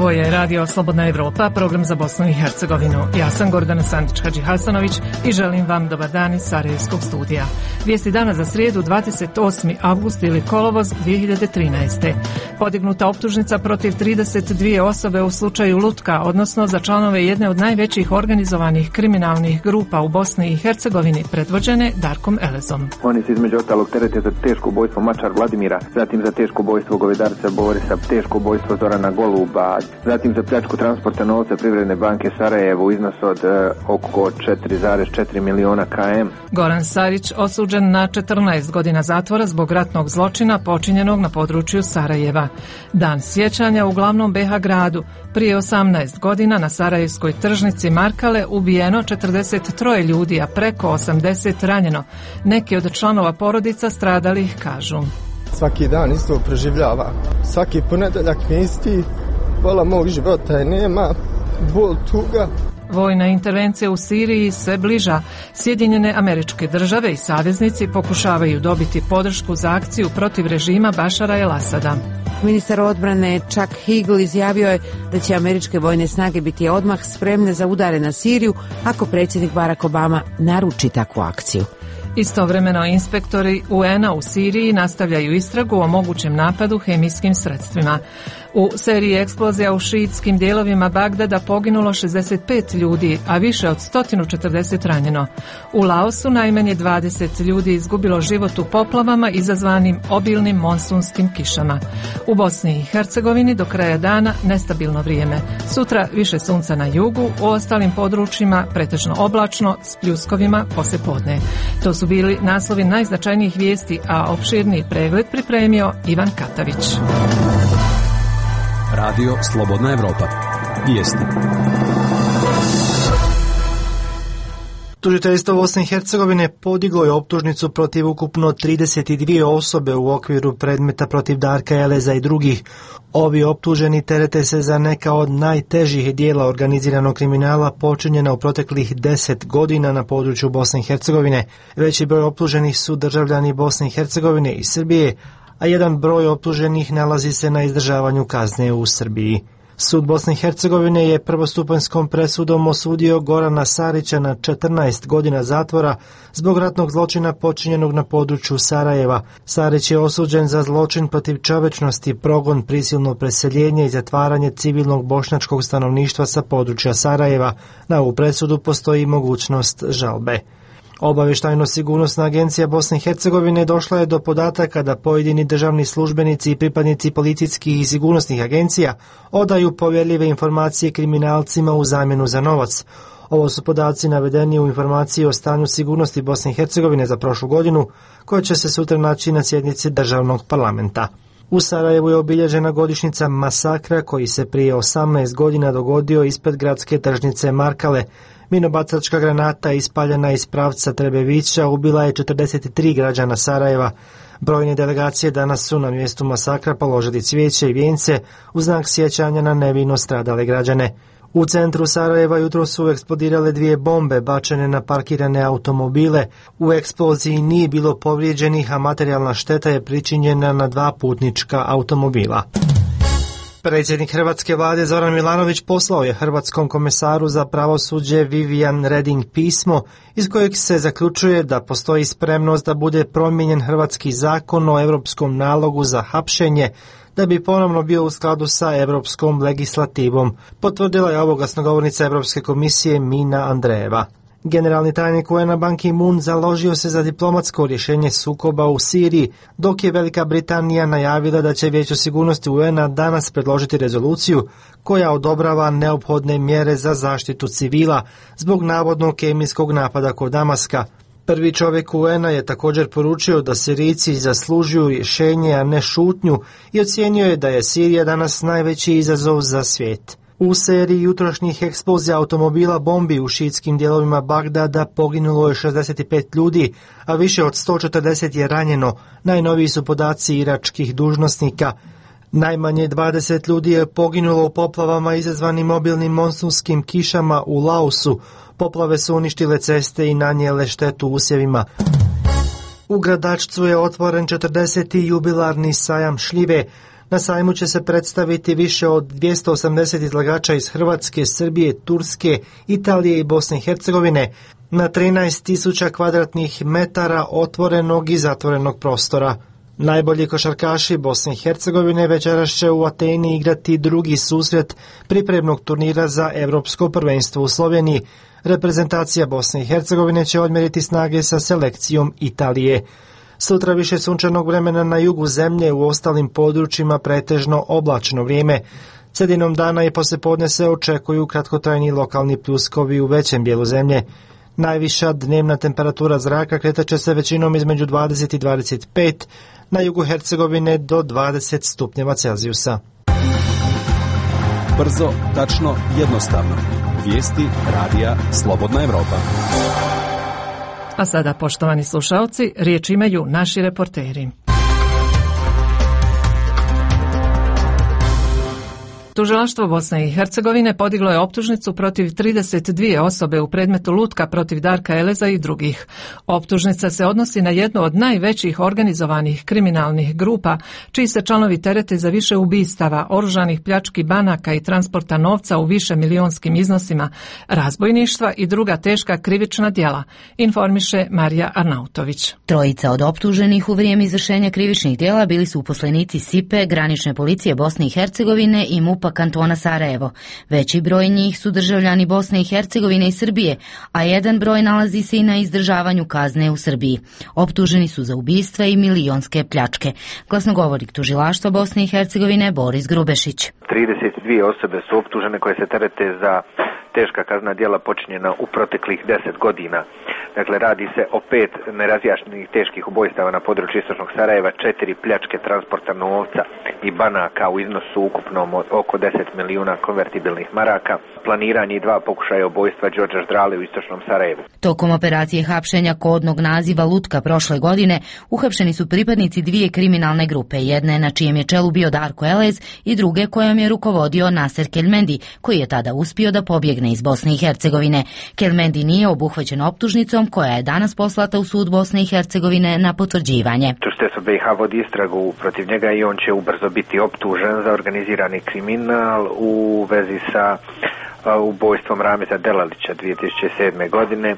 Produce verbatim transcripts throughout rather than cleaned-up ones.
Ovo je Radio Slobodna Evropa, program za Bosnu i Hercegovinu. Ja sam Gordana Sandić-Hadžihasanović i želim vam dobar dan iz Sarajevskog studija. Vijesti dana za srijedu dvadeset osmi avgust ili kolovoz dvije hiljade trinaeste. Podignuta optužnica protiv trideset dvije osobe u slučaju Lutka, odnosno za članove jedne od najvećih organizovanih kriminalnih grupa u Bosni i Hercegovini, predvođene Darkom Elezom. Oni se između ostalog terete za teško ubojstvo Mačar Vladimira, zatim za teško ubojstvo Govedarca Borisa, teško ubojstvo Zorana Goluba, zatim za pljačku transporta novca Privredne banke Sarajevo u iznosu od e, oko četiri zarez četiri miliona km. Goran Sarić osuđen na četrnaest godina zatvora zbog ratnog zločina počinjenog na području Sarajeva. Dan sjećanja u glavnom be ha gradu. Prije osamnaest godina na sarajevskoj tržnici Markale ubijeno četrdeset tri ljudi, a preko osamdeset ranjeno. Neki od članova porodica stradalih kažu: svaki dan isto preživljava. Svaki ponedeljak mi isti. Pola mog života je nema. Bol, tuga. Vojna intervencija u Siriji sve bliža. Sjedinjene Američke Države i saveznici pokušavaju dobiti podršku za akciju protiv režima Bašara el-Asada. Ministar odbrane Chuck Hagel izjavio je da će američke vojne snage biti odmah spremne za udare na Siriju ako predsjednik Barack Obama naruči takvu akciju. Istovremeno inspektori u en a u Siriji nastavljaju istragu o mogućem napadu hemijskim sredstvima. U seriji eksplozija u šiitskim dijelovima Bagdada poginulo šezdeset pet ljudi, a više od sto četrdeset ranjeno. U Laosu najmanje dvadeset ljudi izgubilo život u poplavama izazvanim obilnim monsunskim kišama. U Bosni i Hercegovini do kraja dana nestabilno vrijeme. Sutra više sunca na jugu, u ostalim područjima pretežno oblačno s pljuskovima poslijepodne. To su bili naslovi najznačajnijih vijesti, a opširniji pregled pripremio Ivan Katavić. Radio Slobodna Evropa. Vijesti. Tužiteljstvo Bosne i Hercegovine podiglo je optužnicu protiv ukupno trideset dvije osobe u okviru predmeta protiv Darka Eleza i drugih. Ovi optuženi terete se za neka od najtežih dijela organiziranog kriminala počinjena u proteklih deset godina na području Bosne i Hercegovine. Veći broj optuženih su državljani Bosne i Hercegovine i Srbije, a jedan broj optuženih nalazi se na izdržavanju kazne u Srbiji. Sud Bosne i Hercegovine je prvostupanjskom presudom osudio Gorana Sarića na četrnaest godina zatvora zbog ratnog zločina počinjenog na području Sarajeva. Sarić je osuđen za zločin protiv čovječnosti, progon, prisilno preseljenje i zatvaranje civilnog bošnjačkog stanovništva sa područja Sarajeva. Na ovu presudu postoji mogućnost žalbe. Obavještajno-sigurnosna agencija Bosne i Hercegovine došla je do podataka da pojedini državni službenici i pripadnici policijskih i sigurnosnih agencija odaju povjerljive informacije kriminalcima u zamjenu za novac. Ovo su podaci navedeni u informaciji o stanju sigurnosti Bosne i Hercegovine za prošlu godinu, koja će se sutra naći na sjednici državnog parlamenta. U Sarajevu je obilježena godišnjica masakra koji se prije osamnaest godina dogodio ispred gradske tržnice Markale. Minobacačka granata ispaljena iz pravca Trebevića ubila je četrdeset tri građana Sarajeva. Brojne delegacije danas su na mjestu masakra položili cvijeće i vijence u znak sjećanja na nevino stradale građane. U centru Sarajeva jutro su eksplodirale dvije bombe bačene na parkirane automobile. U eksploziji nije bilo povrijeđenih, a materijalna šteta je pričinjena na dva putnička automobila. Predsjednik hrvatske vlade Zoran Milanović poslao je hrvatskom komesaru za pravosuđe Vivian Reding pismo iz kojeg se zaključuje da postoji spremnost da bude promijenjen hrvatski zakon o europskom nalogu za hapšenje da bi ponovno bio u skladu sa europskom legislativom, potvrdila je ovo glasnogovornica Europske komisije Mina Andrejeva. Generalni tajnik u en a Ban Ki-moon založio se za diplomatsko rješenje sukoba u Siriji, dok je Velika Britanija najavila da će Vijeće sigurnosti u en a danas predložiti rezoluciju koja odobrava neophodne mjere za zaštitu civila zbog navodnog kemijskog napada kod Damaska. Prvi čovjek u en a je također poručio da Sirijci zaslužuju rješenje, a ne šutnju, i ocijenio je da je Sirija danas najveći izazov za svijet. U seriji jutrošnjih eksplozija automobila bombi u šiitskim dijelovima Bagdada poginulo je šezdeset pet ljudi, a više od sto četrdeset je ranjeno. Najnoviji su podaci iračkih dužnosnika. Najmanje dvadeset ljudi je poginulo u poplavama izazvanim mobilnim monsunskim kišama u Laosu. Poplave su uništile ceste i nanijele štetu usjevima. U Gradačcu je otvoren četrdeseti jubilarni sajam šljive. Na sajmu će se predstaviti više od dvjesto osamdeset izlagača iz Hrvatske, Srbije, Turske, Italije i Bosne i Hercegovine na trinaest tisuća kvadratnih metara otvorenog i zatvorenog prostora. Najbolji košarkaši Bosne i Hercegovine večeras će u Ateni igrati drugi susret pripremnog turnira za Evropsko prvenstvo u Sloveniji. Reprezentacija Bosne i Hercegovine će odmjeriti snage sa selekcijom Italije. Sutra više sunčanog vremena na jugu zemlje, u ostalim područjima pretežno oblačno vrijeme. Sredinom dana i poslijepodne se očekuju kratkotrajni lokalni pljuskovi u većem dijelu zemlje. Najviša dnevna temperatura zraka kretat će se većinom između dvadeset i dvadeset pet, na jugu Hercegovine do dvadeset stupnjeva Celzijusa. Brzo, tačno, jednostavno. Vijesti radija Slobodna Evropa. A sada, poštovani slušalci, riječ imaju naši reporteri. Tužilaštvo Bosne i Hercegovine podiglo je optužnicu protiv trideset dvije osobe u predmetu lutka protiv Darka Eleza i drugih. Optužnica se odnosi na jednu od najvećih organizovanih kriminalnih grupa, čiji se članovi terete za više ubistava, oružanih pljački banaka i transporta novca u više milionskim iznosima, razbojništva i druga teška krivična djela, informiše Marija Arnautović. Trojica od optuženih u vrijeme izvršenja krivičnih djela bili su uposlenici S I P E, granične policije Bosne i Hercegovine i MUP pa kantona Sarajevo. Veći broj njih su državljani Bosne i Hercegovine i Srbije, a jedan broj nalazi se i na izdržavanju kazne u Srbiji. Optuženi su za ubistva i milionske pljačke. Glasnogovornik tužilaštva Bosne i Hercegovine Boris Grubešić. trideset dvije osobe su optužene koje se terete za teška kaznena djela počinjena u proteklih deset godina. Dakle, radi se o pet nerazjašnjenih teških ubojstava na području istočnog Sarajeva, četiri pljačke transporta novca i banaka u iznosu ukupnom od oko deset milijuna konvertibilnih maraka, planiranje i dva pokušaja ubojstva Đorđa Ždrale u istočnom Sarajevu. Tokom operacije hapšenja kodnog naziva Lutka prošle godine uhapšeni su pripadnici dvije kriminalne grupe, jedne na čijem je čelu bio Darko Elez i druge kojom je rukovodio Naser Kelmendi, koji je tada uspio da pobjegne iz Bosne i Hercegovine. Kelmendi nije obuhvaćen optužnicom koja je danas poslata u sud Bosne i Hercegovine na potvrđivanje. Tužiteljstvo B iH vodi istragu protiv njega i on će ubrzo biti optužen za organizirani kriminal u vezi sa ubojstvom Rameza Delalića dvije tisuće sedme godine.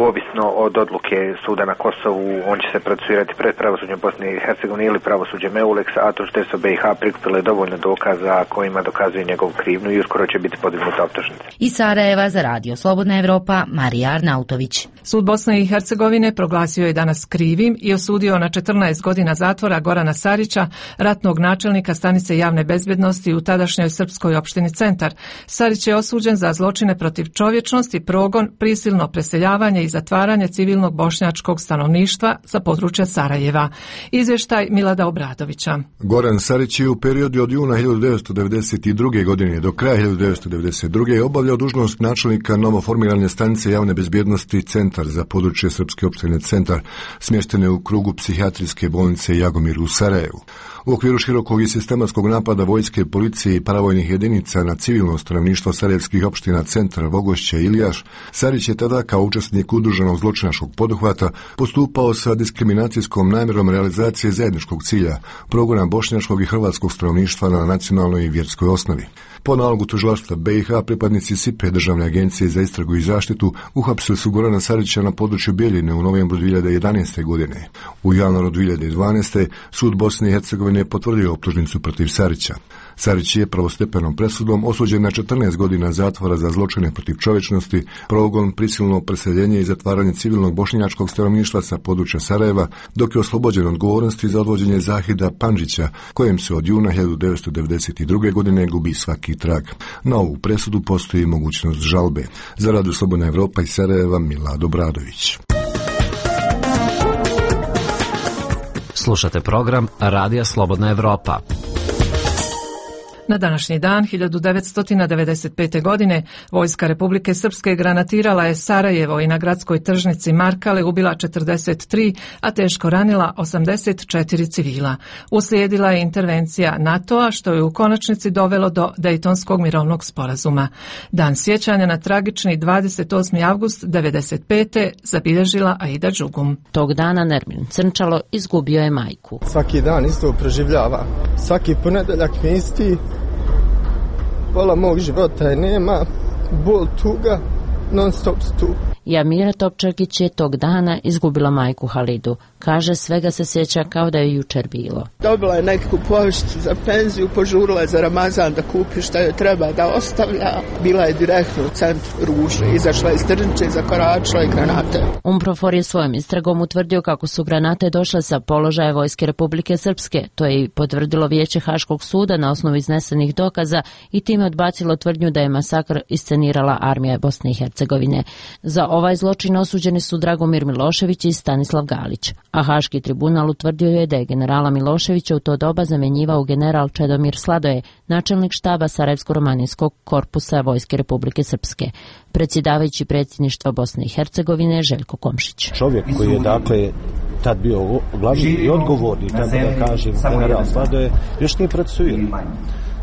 Ovisno od odluke suda na Kosovu, on će se procesuirati pred pravosuđem Bosne i Hercegovine ili pravosuđem EULEX, a tužiteljstvo B iH prikupilo je dovoljno dokaza kojima dokazuje njegov krivnju i uskoro će biti podignuta optužnica. Iz Sarajeva za radio Slobodna Evropa, Marija Arnautović. Sud Bosne i Hercegovine proglasio je danas krivim i osudio na četrnaest godina zatvora Gorana Sarića, ratnog načelnika stanice javne bezbjednosti u tadašnjoj srpskoj opštini Centar. Sarić je osuđen za zločine protiv čovječnosti, progon, prisilno preseljavanje i zatvaranje civilnog bošnjačkog stanovništva sa područja Sarajeva. Izvještaj Milada Obradovića. Goran Sarić je u periodu od juna hiljadu devetsto devedeset druge. godine do kraja hiljadu devetsto devedeset druge. obavljao dužnost načelnika novoformirane stanice javne bezbjednosti Centar za područje srpske opštine Centar, smještene u krugu psihijatrijske bolnice Jagomir u Sarajevu. U okviru širokog i sistematskog napada vojske, policije i paravojnih jedinica na civilno stanovništvo sarajevskih opština Centar, Vogošće i Iljaš, Sarić je tada kao učesnik udruženog zločinačkog poduhvata postupao sa diskriminacijskom namjerom realizacije zajedničkog cilja, progona bošnjačkog i hrvatskog stanovništva na nacionalnoj i vjerskoj osnovi. Po nalogu tužilaštva B iH pripadnici S I P E, Državne agencije za istragu i zaštitu, uhapsili su Gorana Sarića na području Bjeljine u novembru dvije hiljade jedanaeste. godine. U januaru dvije hiljade dvanaeste. sud Bosne i Hercegovine je potvrdio optužnicu protiv Sarića. Sarić je pravostepenom presudom osuđen na četrnaest godina zatvora za zločine protiv čovječnosti, progon, prisilno preseljenje i zatvaranje civilnog bošnjačkog stanovništva sa područja Sarajeva, dok je oslobođen odgovornosti za odvođenje Zahida Pandžića, kojem se od juna hiljadu devetsto devedeset druge. godine gubi svaki trag. Na ovu presudu postoji mogućnost žalbe. Za radio Slobodna Evropa iz Sarajeva, Milad Obradović. Slušate program Radija Slobodna Evropa. Na današnji dan hiljadu devetsto devedeset pete. godine vojska Republike Srpske granatirala je Sarajevo i na gradskoj tržnici Markale ubila četrdeset tri, a teško ranila osamdeset četiri civila. Uslijedila je intervencija NATO-a što je u konačnici dovelo do Dejtonskog mirovnog sporazuma. Dan sjećanja na tragični dvadeset osmi avgust devedeset pete. zabilježila Aida Đugum. Tog dana Nermin Crnčalo izgubio je majku. Svaki dan isto preživljava. Svaki ponedeljak mi isti. Pola mog života je nema, bol, tuga, non stop tu. Jamira Topčagić je tog dana izgubila majku Halidu. Kaže, svega se sjeća kao da je jučer bilo. Dobila je nekakvu povišicu za penziju, požurila je za Ramazan da kupi šta joj treba da ostavlja. Bila je direktno u centru Ruže, izašla iz tržnice i zakoračila i granate. Umprofor je svojom istragom utvrdio kako su granate došle sa položaja Vojske Republike Srpske. To je i potvrdilo Vijeće Haškog suda na osnovu iznesenih dokaza i time odbacilo tvrdnju da je masakr iscenirala armija Bosne i Hercegovine. Za ovaj zločin osuđeni su Dragomir Milošević i Stanislav Galić, a Haški tribunal utvrdio je da je generala Miloševića u to doba zamjenjivao general Čedomir Sladoje, načelnik štaba Sarajevsko-romanijskog korpusa Vojske Republike Srpske. Predsjedavajući predsjedništva Bosne i Hercegovine Željko Komšić. Čovjek koji je dakle tad bio glavni i odgovorni, tako da kažem, general Sladoje, još nije procesuiran.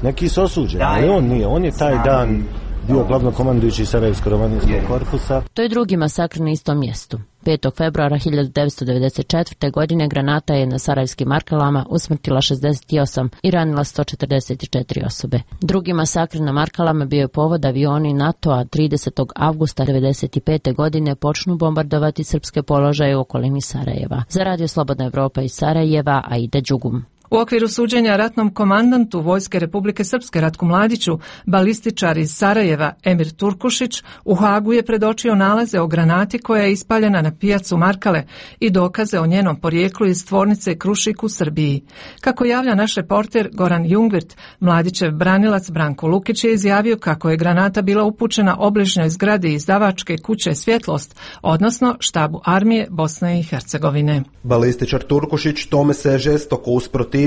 Neki su osuđeni, ali on nije. On je taj dan bio glavnokomandujući Sarajevsko-romanijskog korpusa. To je drugi masakr na istom mjestu. petog februara hiljadu devetsto devedeset četvrte. godine granata je na Sarajevskim Markalama usmrtila šezdeset osam i ranila sto četrdeset četiri osobe. Drugi masakr na Markalama bio je povod avioni NATO-a tridesetog avgusta devedeset pete. godine počnu bombardovati srpske položaje u okolini Sarajeva. Za Radio Slobodna Evropa iz Sarajeva, Aida Đugum. U okviru suđenja ratnom komandantu Vojske Republike Srpske Ratku Mladiću, balističar iz Sarajeva Emir Turkušić u Hagu je predočio nalaze o granati koja je ispaljena na pijacu Markale i dokaze o njenom porijeklu iz tvornice Krušik u Srbiji. Kako javlja naš reporter Goran Jungvirt, Mladićev branilac Branko Lukić je izjavio kako je granata bila upućena obližnjoj zgradi izdavačke kuće Svjetlost, odnosno štabu armije Bosne i Hercegovine. Balističar Turkušić tome se je žestoko usprotivio,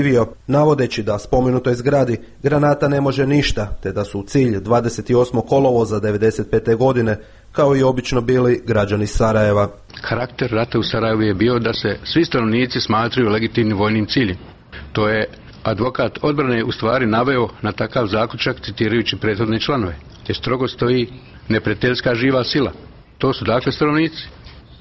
navodeći da spomenutoj zgradi granata ne može ništa, te da su u cilj dvadeset osmog kolovoza devedeset pete. godine, kao i obično bili građani Sarajeva. Karakter rata u Sarajevu je bio da se svi stanovnici smatraju legitimnim vojnim ciljem. To je advokat odbrane u stvari naveo na takav zaključak citirajući prethodne članove, te strogo stoji neprijateljska živa sila. To su dakle stanovnici.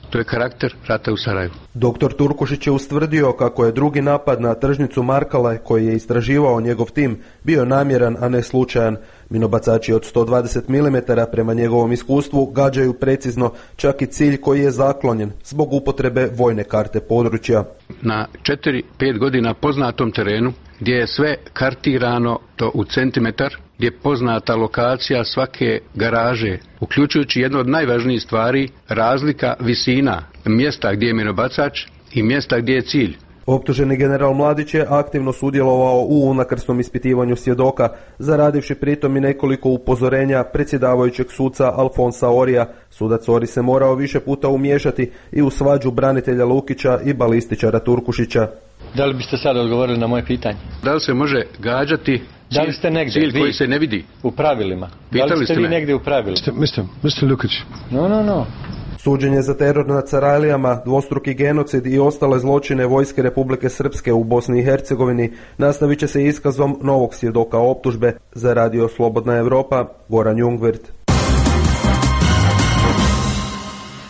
To je karakter rata u Sarajevu. Doktor Turkušić je ustvrdio kako je drugi napad na tržnicu Markale, koji je istraživao njegov tim, bio namjeran, a ne slučajan. Minobacači od sto dvadeset milimetara prema njegovom iskustvu gađaju precizno čak i cilj koji je zaklonjen zbog upotrebe vojne karte područja. Na četiri pet godina poznatom terenu, gdje je sve kartirano to u centimetar, gdje je poznata lokacija svake garaže, uključujući jednu od najvažnijih stvari, razlika visina mjesta gdje je minobacač i mjesta gdje je cilj. Optuženi general Mladić je aktivno sudjelovao u unakrsnom ispitivanju svjedoka, zaradivši pritom i nekoliko upozorenja predsjedavajućeg suca Alfonsa Orija. Sudac Ori se morao više puta umiješati i u svađu branitelja Lukića i balističara Turkušića. Da li biste sad odgovorili na moje pitanje? Da li se može gađati da li ste negdje, cilj vi, koji se ne vidi? U pravilima. Pitali da li ste, ste vi me? negdje u pravilima? mister mister Lukić. No, no, no. Suđenje za teror nad Sarajlijama, dvostruki genocid i ostale zločine Vojske Republike Srpske u Bosni i Hercegovini nastavit će se iskazom novog svjedoka optužbe. Za Radio Slobodna Evropa, Goran Jungvirt.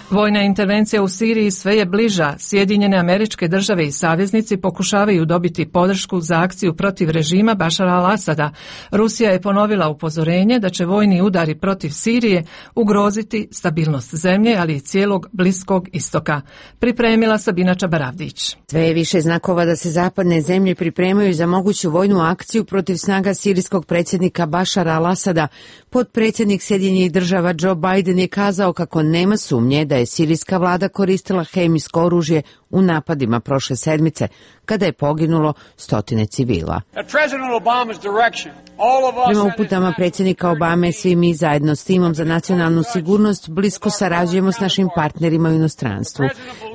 Vojna intervencija u Siriji sve je bliža. Sjedinjene Američke Države i saveznici pokušavaju dobiti podršku za akciju protiv režima Bašara al-Asada. Rusija je ponovila upozorenje da će vojni udari protiv Sirije ugroziti stabilnost zemlje, ali i cijelog Bliskog istoka. Pripremila Sabina Čabaravdić. Sve je više znakova da se zapadne zemlje pripremaju za moguću vojnu akciju protiv snaga sirijskog predsjednika Bašara al-Asada. Potpredsjednik Sjedinjenih Država Joe Biden je kazao kako nema sumnje da je sirijska vlada koristila hemijsko oružje u napadima prošle sedmice, kada je poginulo stotine civila. Prema uputama predsjednika Obame, svi mi zajedno s timom za nacionalnu sigurnost blisko sarađujemo s našim partnerima u inostranstvu.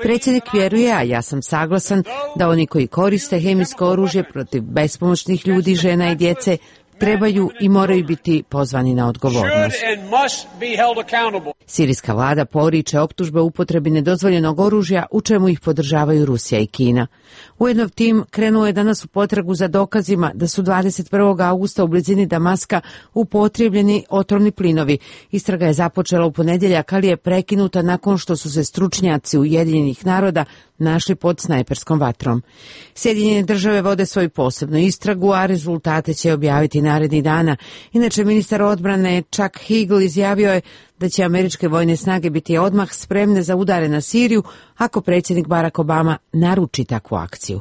Predsjednik vjeruje, a ja sam saglasan, da oni koji koriste hemijsko oružje protiv bespomoćnih ljudi, žena i djece trebaju i moraju biti pozvani na odgovornost. Sirijska vlada poriče optužbe o upotrebi nedozvoljenog oružja, u čemu ih podržavaju Rusija i Kina. Ujedno tim krenuo je danas u potragu za dokazima da su dvadeset prvog augusta u blizini Damaska upotrijebljeni otrovni plinovi. Istraga je započela u ponedjeljak, ali je prekinuta nakon što su se stručnjaci Ujedinjenih naroda našli pod snajperskom vatrom. Sjedinjene države vode svoju posebnu istragu, a rezultate će objaviti narednih dana. Inače, ministar odbrane Chuck Hagel izjavio je da će američke vojne snage biti odmah spremne za udare na Siriju ako predsjednik Barack Obama naruči takvu akciju.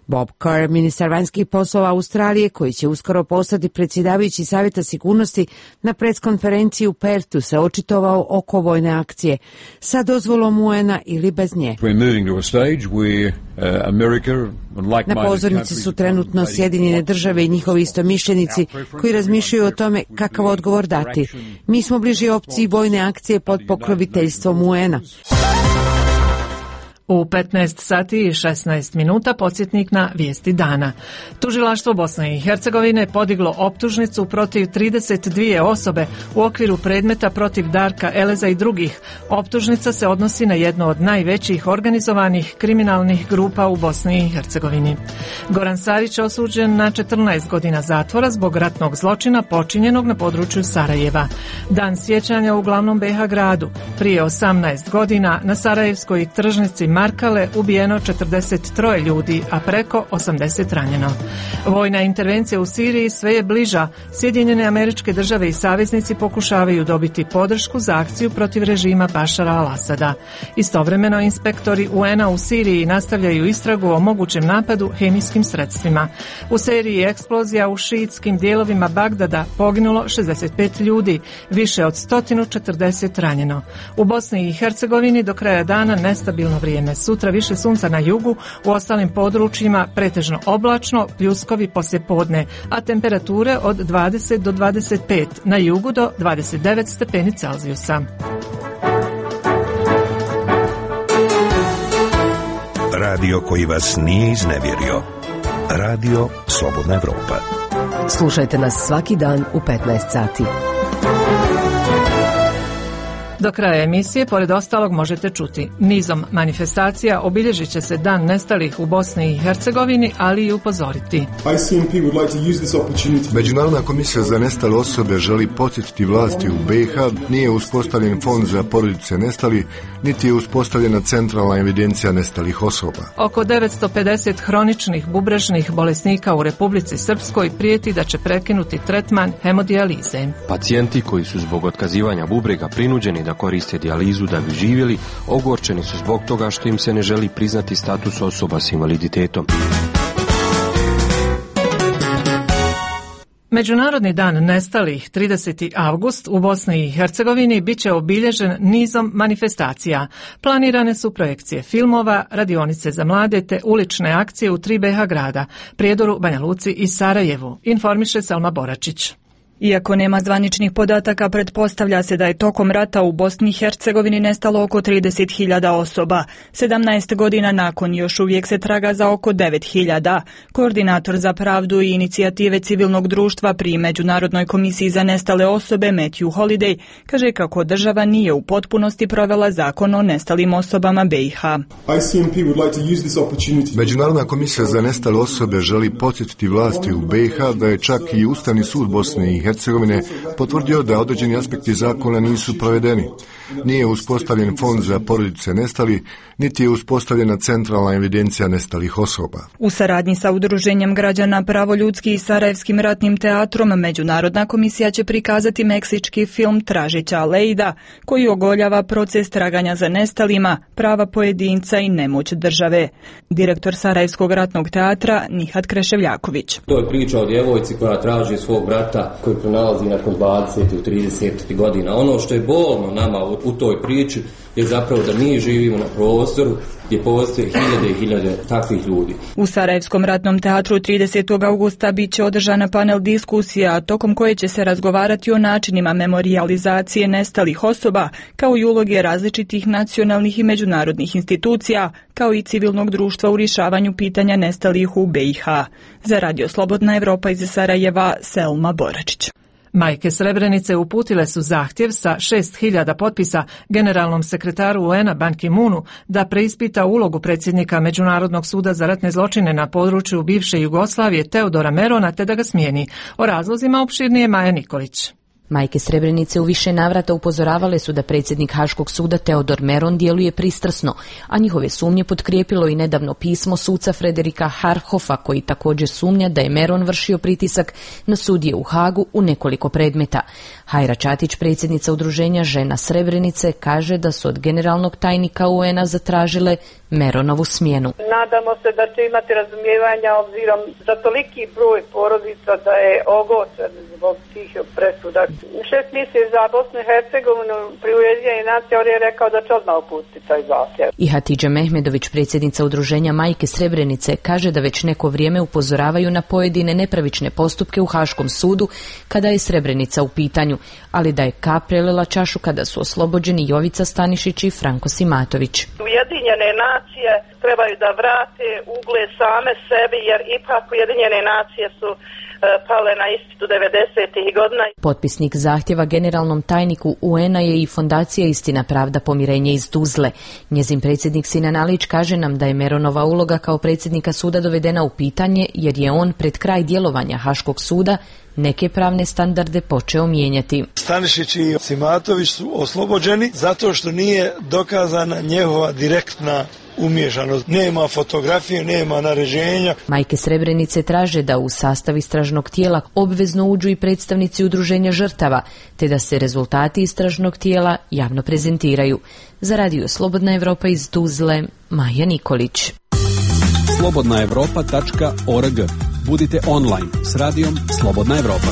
Bob Kerr, ministar vanjskih poslova Australije, koji će uskoro postati predsjedavajući Savjeta sigurnosti, na preskonferenciji u Perthu se očitovao oko vojne akcije sa dozvolom U N-a ili bez nje. Na pozornici su trenutno Sjedinjene države i njihovi istomišljenici koji razmišljaju o tome kakav odgovor dati. Mi smo bliži opciji vojne akcije pod pokroviteljstvom U N-a. U petnaest sati i šesnaest minuta podsjetnik na vijesti dana. Tužilaštvo Bosne i Hercegovine podiglo optužnicu protiv trideset dvije osobe u okviru predmeta protiv Darka Eleza i drugih. Optužnica se odnosi na jednu od najvećih organizovanih kriminalnih grupa u Bosni i Hercegovini. Goran Sarić osuđen na četrnaest godina zatvora zbog ratnog zločina počinjenog na području Sarajeva. Dan sjećanja u glavnom B iH gradu. Prije osamnaest godina na sarajevskoj tržnici Markale ubijeno četrdeset troje ljudi, a preko osamdeset ranjeno. Vojna intervencija u Siriji sve je bliža. Sjedinjene Američke Države i saveznici pokušavaju dobiti podršku za akciju protiv režima Bašara al-Asada. Istovremeno inspektori U N-a u Siriji nastavljaju istragu o mogućem napadu hemijskim sredstvima. U seriji eksplozija u šiitskim dijelovima Bagdada poginulo šezdeset pet ljudi, više od sto četrdeset ranjeno. U Bosni i Hercegovini do kraja dana nestabilno vrijeme. Sutra više sunca na jugu, u ostalim područjima pretežno oblačno, pljuskovi poslijepodne, a temperature od dvadeset do dvadeset pet, na jugu do dvadeset devet stepeni Celzijusa. Radio koji vas nije iznevjerio. Radio Slobodna Evropa. Slušajte nas svaki dan u petnaest sati. Do kraja emisije, pored ostalog, možete čuti: nizom manifestacija obilježit će se Dan nestalih u Bosni i Hercegovini, ali i upozoriti. Međunarodna komisija za nestale osobe želi podsjetiti vlasti u B iH, nije uspostavljen fond za porodice nestalih, niti je uspostavljena centralna evidencija nestalih osoba. Oko devetsto pedeset hroničnih bubrežnih bolesnika u Republici Srpskoj prijeti da će prekinuti tretman hemodijalize. Pacijenti koji su zbog otkazivanja bubrega prinuđeni da koriste dijalizu da bi živjeli, ogorčeni su zbog toga što im se ne želi priznati status osoba s invaliditetom. Međunarodni dan nestalih trideseti avgust u Bosni i Hercegovini bit će obilježen nizom manifestacija. Planirane su projekcije filmova, radionice za mlade te ulične akcije u tri B iH grada, Prijedoru, Banja Luci i Sarajevu, informiše Selma Boračić. Iako nema zvaničnih podataka, pretpostavlja se da je tokom rata u Bosni i Hercegovini nestalo oko trideset hiljada osoba. sedamnaest godina nakon još uvijek se traga za oko devet hiljada. Koordinator za pravdu i inicijative civilnog društva pri Međunarodnoj komisiji za nestale osobe Matthew Holiday kaže kako država nije u potpunosti provela zakon o nestalim osobama B iH. Međunarodna komisija za nestale osobe želi podsjetiti vlasti u B iH da je čak i Ustavni sud Bosne i Hercegovine potvrdio da određeni aspekti zakona nisu provedeni. Nije uspostavljen fond za porodice nestalih, niti je uspostavljena centralna evidencija nestalih osoba. U saradnji sa Udruženjem građana Pravoljudski i Sarajevskim ratnim teatrom, Međunarodna komisija će prikazati meksički film Tražića Lejda, koji ogoljava proces traganja za nestalima, prava pojedinca i nemoć države. Direktor Sarajevskog ratnog teatra Nihat Kreševljaković. To je priča o djevojci koja traži svog brata koji pronalazi nakon dvadeset ili trideset godina. Ono što je bolno nama u u toj priči je zapravo da mi živimo na prostoru gdje postoje hiljade i hiljade takvih ljudi. U Sarajevskom ratnom teatru tridesetog augusta bit će održana panel diskusija, tokom koje će se razgovarati o načinima memorijalizacije nestalih osoba, kao i uloge različitih nacionalnih i međunarodnih institucija, kao i civilnog društva u rješavanju pitanja nestalih u B i H. Za Radio Slobodna Evropa iz Sarajeva, Selma Boračić. Majke Srebrenice uputile su zahtjev sa šest hiljada potpisa generalnom sekretaru U N-a Ban Ki-moonu da preispita ulogu predsjednika Međunarodnog suda za ratne zločine na području bivše Jugoslavije Teodora Merona te da ga smijeni. O razlozima opširnije Maja Nikolić. Majke Srebrenice u više navrata upozoravale su da predsjednik Haškog suda Teodor Meron djeluje pristrasno, a njihove sumnje potkrijepilo i nedavno pismo suca Frederika Harhofa, koji također sumnja da je Meron vršio pritisak na sudije u Hagu u nekoliko predmeta. Hajra Čatić, predsjednica udruženja Žena Srebrenice, kaže da su od generalnog tajnika U N-a zatražile Meronovu smjenu. Nadamo se da će imati razumijevanja obzirom za toliki broj porodica da je ogorčen zbog tih presuda. Šest misije za Bosnu i Hercegovinu pri Ujedinjenim nacijama je rekao da će odmah uputiti taj zahtjev. I Hatidža Mehmedović, predsjednica udruženja Majke Srebrenice, kaže da već neko vrijeme upozoravaju na pojedine nepravične postupke u Haškom sudu kada je Srebrenica u pitanju, ali da je kap prelila čašu kada su oslobođeni Jovica Stanišić i Franko Simatović. Ujedinjene nacije trebaju da vrate ugled same sebi, jer ipak Ujedinjene nacije su pale na ispitu devedesetih godina. Potpisnik zahtjeva generalnom tajniku U N-a je i Fondacija Istina, pravda, pomirenje iz Tuzle. Njezin predsjednik Sinan Alić kaže nam da je Meronova uloga kao predsjednika suda dovedena u pitanje jer je on pred kraj djelovanja Haškog suda neke pravne standarde počeo mijenjati. Stanišić i Simatović su oslobođeni zato što nije dokazana njegova direktna umiješanost. Nema fotografije, nema naređenja. Majke Srebrenice traže da u sastav istražnog tijela obvezno uđu i predstavnici udruženja žrtava, te da se rezultati istražnog tijela javno prezentiraju. Za Radio Slobodna Evropa iz Tuzle, Maja Nikolić. slobodna evropa tačka org. Budite online s radijom Slobodna Evropa.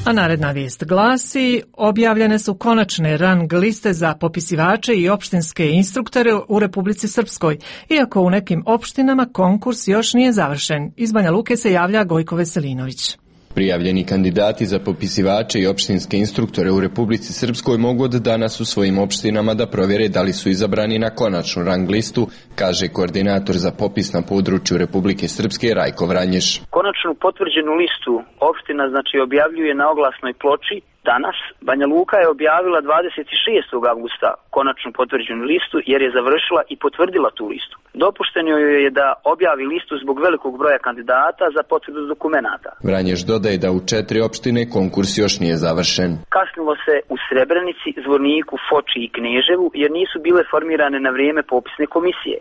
A naredna vijest glasi, objavljene su konačne rang liste za popisivače i opštinske instruktore u Republici Srpskoj, iako u nekim opštinama konkurs još nije završen. Iz Banja Luke se javlja Gojko Veselinović. Prijavljeni kandidati za popisivače i opštinske instruktore u Republici Srpskoj mogu od danas u svojim opštinama da provjere da li su izabrani na konačnu rang listu, kaže koordinator za popis na području Republike Srpske Rajko Vranješ. Konačnu potvrđenu listu opština znači objavljuje na oglasnoj ploči. Danas Banja Luka je objavila dvadeset šestog avgusta konačnu potvrđenu listu jer je završila i potvrdila tu listu. Dopušteno joj je da objavi listu zbog velikog broja kandidata za potvrdu dokumenata. Vranješ dodaje da u četiri opštine konkurs još nije završen. Kasnilo se u Srebrenici, Zvorniku, Foči i Kneževu jer nisu bile formirane na vrijeme popisne komisije,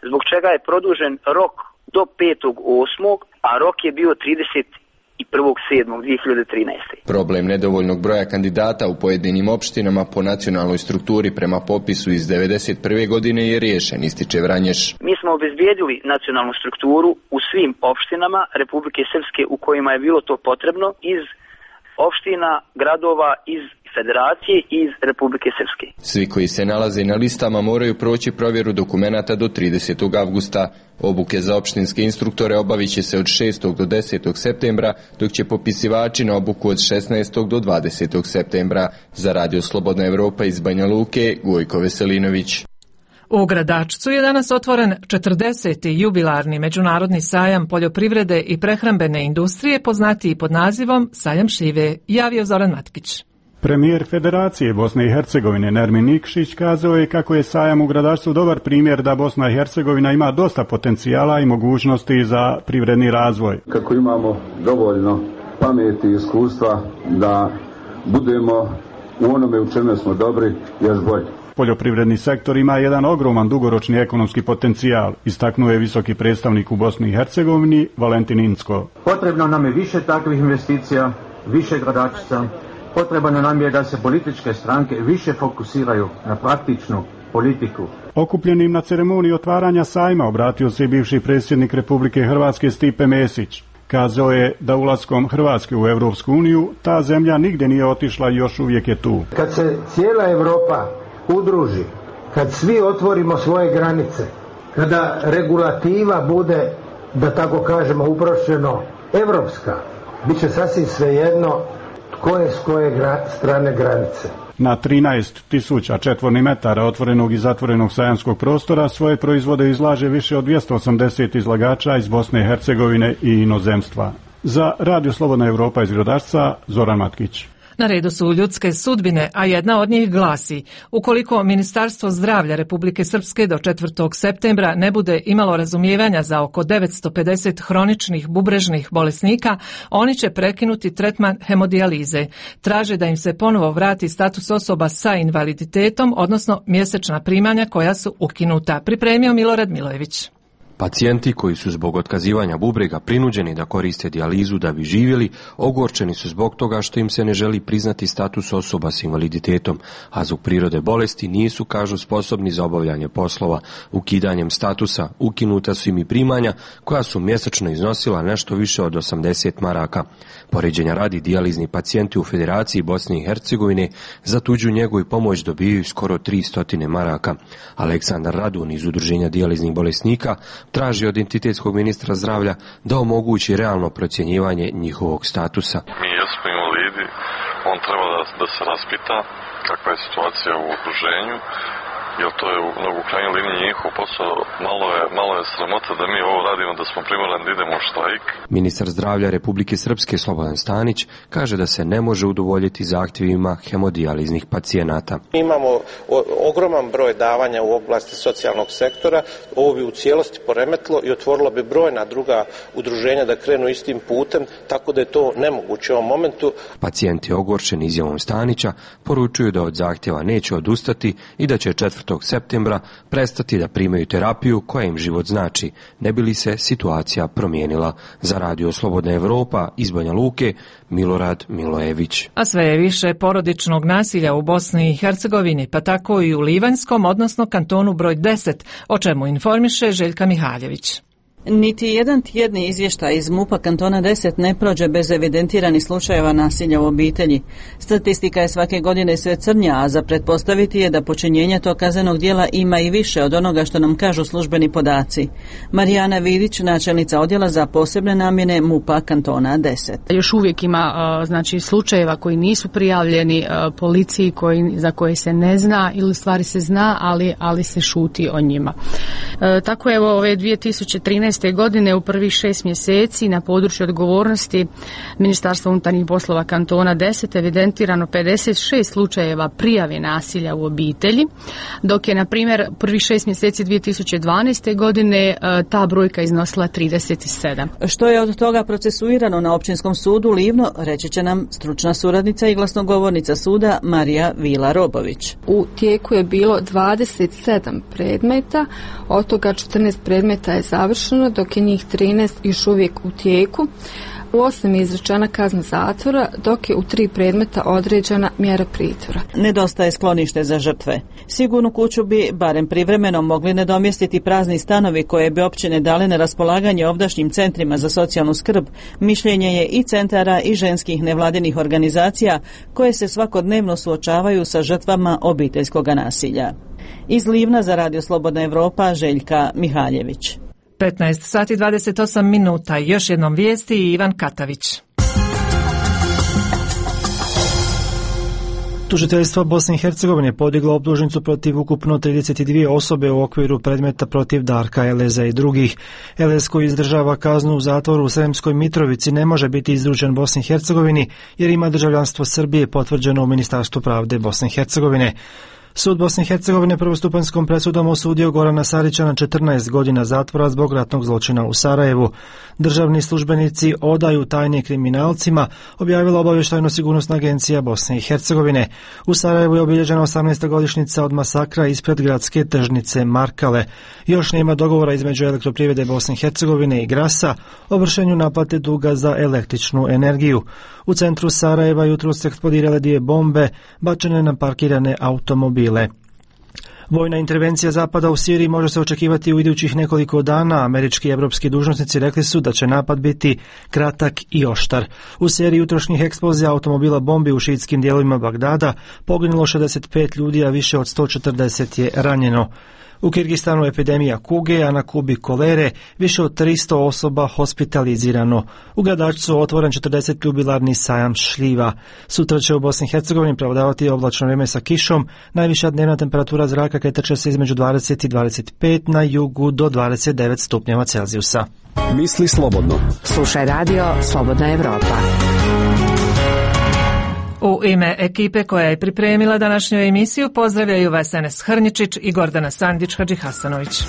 zbog čega je produžen rok do petog osmog, a rok je bio trideset i prvog sedmog dvije hiljade trinaeste. Problem nedovoljnog broja kandidata u pojedinim opštinama po nacionalnoj strukturi prema popisu iz devedeset prve godine je riješen, ističe Vranješ. Mi smo obezbijedili nacionalnu strukturu u svim opštinama Republike Srpske u kojima je bilo to potrebno iz opština, gradova, iz Federacije i iz Republike Srpske. Svi koji se nalaze na listama moraju proći provjeru dokumenata do tridesetog avgusta. Obuke za opštinske instruktore obavit će se od šestog do desetog septembra, dok će popisivači na obuku od šesnaestog do dvadesetog septembra. Za Radio Slobodna Evropa iz Banja Luke, Gojko Veselinović. U Gradačcu je danas otvoren četrdeseti jubilarni međunarodni sajam poljoprivrede i prehrambene industrije, poznatiji pod nazivom Sajam šljive, javio Zoran Matkić. Premijer Federacije Bosne i Hercegovine Nermin Nikšić kazao je kako je sajam u Gradačcu dobar primjer da Bosna i Hercegovina ima dosta potencijala i mogućnosti za privredni razvoj. Kako imamo dovoljno pameti i iskustva da budemo u onome u čemu smo dobri još bolje. Poljoprivredni sektor ima jedan ogroman dugoročni ekonomski potencijal, istaknuo je visoki predstavnik u Bosni i Hercegovini Valentin Incko. Potrebno nam je više takvih investicija, više Gradačca. Potrebno nam je da se političke stranke više fokusiraju na praktičnu politiku. Okupljenim na ceremoniji otvaranja sajma obratio se i bivši predsjednik Republike Hrvatske Stipe Mesić. Kazao je da ulaskom Hrvatske u Europsku uniju ta zemlja nigdje nije otišla i još uvijek je tu. Kad se cijela Europa udruži, kad svi otvorimo svoje granice, kada regulativa bude, da tako kažemo uprošćeno, evropska, bit će sasvim svejedno tko je s koje gra, strane granice. Na trinaest tisuća četvornih metara otvorenog i zatvorenog sajamskog prostora svoje proizvode izlaže više od dvjesto osamdeset izlagača iz Bosne i Hercegovine i inozemstva. Za Radio Slobodna Europa iz Gradačca, Zoran Matkić. Na redu su ljudske sudbine, a jedna od njih glasi: ukoliko Ministarstvo zdravlja Republike Srpske do četvrtog septembra ne bude imalo razumijevanja za oko devetsto pedeset hroničnih bubrežnih bolesnika, oni će prekinuti tretman hemodijalize. Traže da im se ponovo vrati status osoba sa invaliditetom, odnosno mjesečna primanja koja su ukinuta. Pripremio Milorad Milojević. Pacijenti koji su zbog otkazivanja bubrega prinuđeni da koriste dijalizu da bi živjeli, ogorčeni su zbog toga što im se ne želi priznati status osoba s invaliditetom, a zbog prirode bolesti nisu, kažu, sposobni za obavljanje poslova. Ukidanjem statusa ukinuta su im i primanja koja su mjesečno iznosila nešto više od osamdeset maraka. Poređenja radi, dijalizni pacijenti u Federaciji Bosne i Hercegovine za tuđu njegu i pomoć dobijaju skoro tristo maraka. Aleksandar Radun iz Udruženja dijaliznih bolesnika traži od entitetskog ministra zdravlja da omogući realno procjenjivanje njihovog statusa. Mi jesmo invalidi, on treba da, da se raspita kakva je situacija u okruženju, jer to je u, u krajnjoj liniji njihov posao. Malo je, malo je sramota da mi ovo radimo, da smo primorani da idemo u štrajk. Ministar zdravlja Republike Srpske Slobodan Stanić kaže da se ne može udovoljiti zahtjevima hemodijaliznih pacijenata. Imamo o, ogroman broj davanja u oblasti socijalnog sektora, ovo bi u cijelosti poremetilo i otvorilo bi brojna druga udruženja da krenu istim putem, tako da je to nemoguće u ovom momentu. Pacijenti ogorčeni izjavom Stanića poručuju da od zahtjeva neće odustati i da će četvrtog septembra prestati da primaju terapiju koja im život znači, ne bi li se situacija promijenila. Za Radio Slobodna Europa iz Banja Luke, Milorad Milojević. A sve je više porodičnog nasilja u Bosni i Hercegovini, pa tako i u Livanjskom, odnosno kantonu broj deset, o čemu informiše Željka Mihaljević. Niti jedan tjedni izvještaj iz MUP-a kantona deset ne prođe bez evidentiranih slučajeva nasilja u obitelji. Statistika je svake godine sve crnja, a za pretpostaviti je da počinjenje tog kaznenog djela ima i više od onoga što nam kažu službeni podaci. Marijana Vidić, načelnica odjela za posebne namjene MUP-a kantona deset. Još uvijek ima znači slučajeva koji nisu prijavljeni policiji, koji, za koje se ne zna ili stvari se zna, ali, ali se šuti o njima. E, tako evo ove dvije tisuće trinaeste godine u prvih šest mjeseci na području odgovornosti Ministarstva unutarnjih poslova kantona deset evidentirano pedeset šest slučajeva prijave nasilja u obitelji, dok je na primjer prvih šest mjeseci dvije tisuće dvanaeste godine ta brojka iznosila trideset sedam. Što je od toga procesuirano na Općinskom sudu Livno, reći će nam stručna suradnica i glasnogovornica suda Marija Vila-Robović. U tijeku je bilo dvadeset sedam predmeta, od toga četrnaest predmeta je završeno, dok je njih trinaest još uvijek u tijeku. U osam je izrečena kazna zatvora, dok je u tri predmeta određena mjera pritvora. Nedostaje sklonište za žrtve. Sigurnu kuću bi, barem privremeno, mogli nadomjestiti prazni stanovi koje bi općine dale na raspolaganje ovdašnjim centrima za socijalnu skrb. Mišljenje je i centara i ženskih nevladinih organizacija koje se svakodnevno suočavaju sa žrtvama obiteljskog nasilja. Iz Livna za Radio Slobodna Europa, Željka Mihaljević. petnaest sati dvadeset osam minuta. Još jednom vijesti i Ivan Katavić. Tužiteljstvo Bosne i Hercegovine podiglo optužnicu protiv ukupno trideset dvije osobe u okviru predmeta protiv Darka Eleza i drugih. Elez, koji izdržava kaznu u zatvoru u Sremskoj Mitrovici, ne može biti izručen Bosni i Hercegovini jer ima državljanstvo Srbije potvrđeno u Ministarstvu pravde Bosne i Hercegovine. Sud Bosne i Hercegovine prvostupanjskom presudom osudio Gorana Sarića na četrnaest godina zatvora zbog ratnog zločina u Sarajevu. Državni službenici odaju tajne kriminalcima, objavila obavještajno-sigurnosna agencija Bosne i Hercegovine. U Sarajevu je obilježena osamnaesta godišnjica od masakra ispred gradske tržnice Markale. Još nema dogovora između Elektroprivrede Bosne i Hercegovine i Grasa o vršenju naplate duga za električnu energiju. U centru Sarajeva jutros eksplodirale dvije bombe bačene na parkirane automobile. Vojna intervencija Zapada u Siriji može se očekivati u idućih nekoliko dana. Američki i evropski dužnosnici rekli su da će napad biti kratak i oštar. U seriji jutrošnjih eksplozija automobila bombi u šiitskim dijelovima Bagdada poginulo šezdeset pet ljudi, a više od sto četrdeset je ranjeno. U Kirgistanu epidemija kuge, a na Kubi kolere, više od tristo osoba hospitalizirano. U Gradačcu otvoren četrdeset jubilarni sajam šljiva. Sutra će u Bosni i Hercegovini prevladavati oblačno vrijeme sa kišom. Najviša dnevna temperatura zraka kretat će se između dvadeset i dvadeset pet, na jugu do dvadeset devet stupnjeva Celzijusa. Misli slobodno. Slušaj radio Slobodna Evropa. U ime ekipe koja je pripremila današnju emisiju pozdravljaju vas Enes Hrnjičić i Gordana Sandić Hadžihasanović.